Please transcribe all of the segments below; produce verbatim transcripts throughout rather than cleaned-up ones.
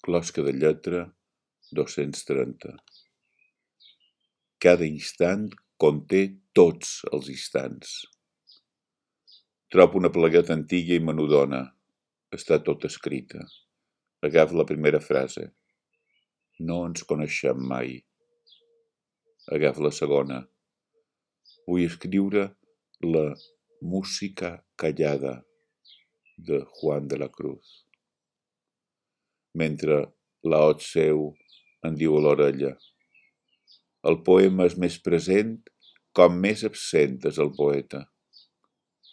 Closca de lletra, dos-cents trenta. Cada instant conté tots els instants. Trobo una plegueta antiga i menudona. Està tot escrita. Agafa la primera frase. No ens coneixem mai. Agafa la segona. Vull escriure la música callada de Juan de la Cruz. Mentre l'ot seu em diu a l'orella. El poema és més present com més absent és el poeta.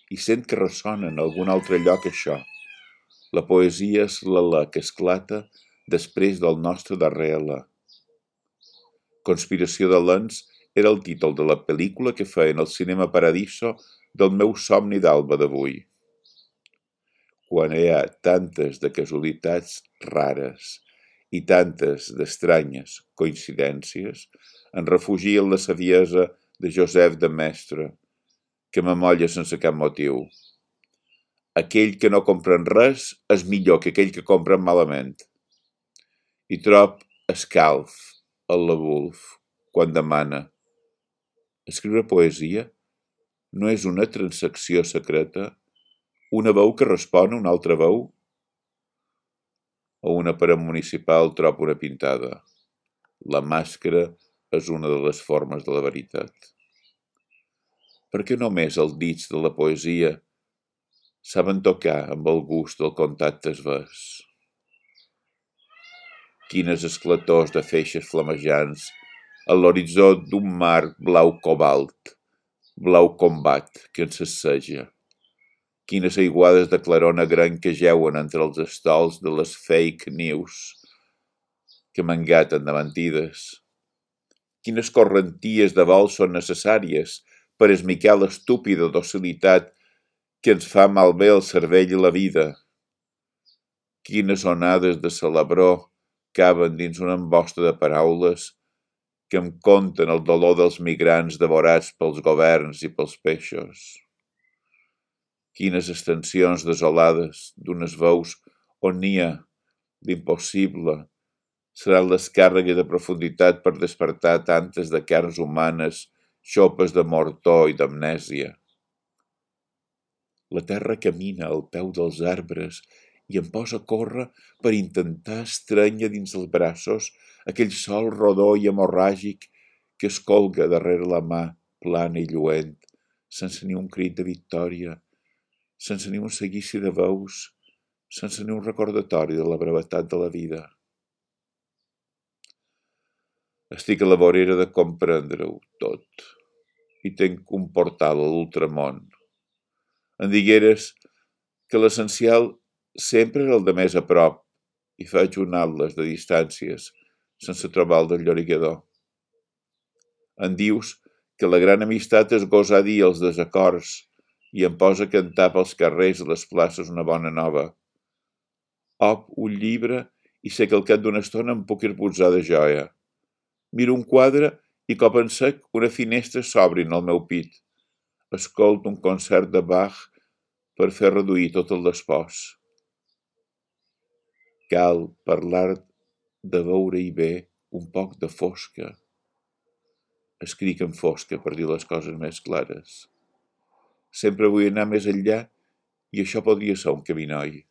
I sent que ressona en algun altre lloc això. La poesia és l'alè que esclata després del nostre darrer alè. Conspiració de lents era el títol de la pel·lícula que feien al Cinema Paradiso del meu somni d'alba d'avui. Quan hi ha tantes de casualitats rares i tantes d'estranyes coincidències, em refugio en la saviesa de Joseph de Maistre, que m'amolla sense cap motiu. Aquell que no comprèn res és millor que aquell que comprèn malament. I trob escalf el la Woolf quan demana: escriure poesia no és una transacció secreta, una veu que respon a una altra veu? O una paret municipal trob una pintada. La màscara és una de les formes de la veritat. Per què només els dits de la poesia saben tocar amb el gust del contacte esvers? Quines esclators de feixes flamejants a l'horitzó d'un mar blau cobalt, blau combat que ens sasseja. Quines aiguades de claror gran que jeuen entre els estols de les fake news que m'engaten de mentides. Quines correnties de vol són necessàries per esmicar l'estúpida docilitat que ens fa malbé el cervell i la vida. Quines onades de celebró caben dins una embosta de paraules que em conten el dolor dels migrants devorats pels governs i pels peixos. Quines extensions desolades d'unes veus on n'hi ha d'impossible seran les càrregues de profunditat per despertar tantes de carns humanes, xopes de mortor i d'amnèsia. La terra camina al peu dels arbres i em posa a córrer per intentar estrènyer dins els braços aquell sol rodó i hemorràgic que es colga darrere la mà plana i lluent, sense ni un crit de victòria, sense ni un seguici de veus, sense ni un recordatori de la brevetat de la vida. Estic a la vorera de comprendre-ho tot i tenc un portal a l'ultramón. Em digueres que l'essencial sempre era el de més a prop i faig un atles de distàncies sense trobar el del llorigador. Em dius que la gran amistat és gosar dir els desacords i em posa a cantar pels carrers i les places una bona nova. Op un llibre i sé que al cap d'una estona em puc ir posar de joia. Miro un quadre i cop en sec una finestra s'obrin al meu pit. Escolto un concert de Bach per fer reduir tot el despòs. Cal parlar de veure-hi bé un poc de fosca. Escric en fosca per dir les coses més clares. Sempre vull anar més enllà i això podria ser un camí noi.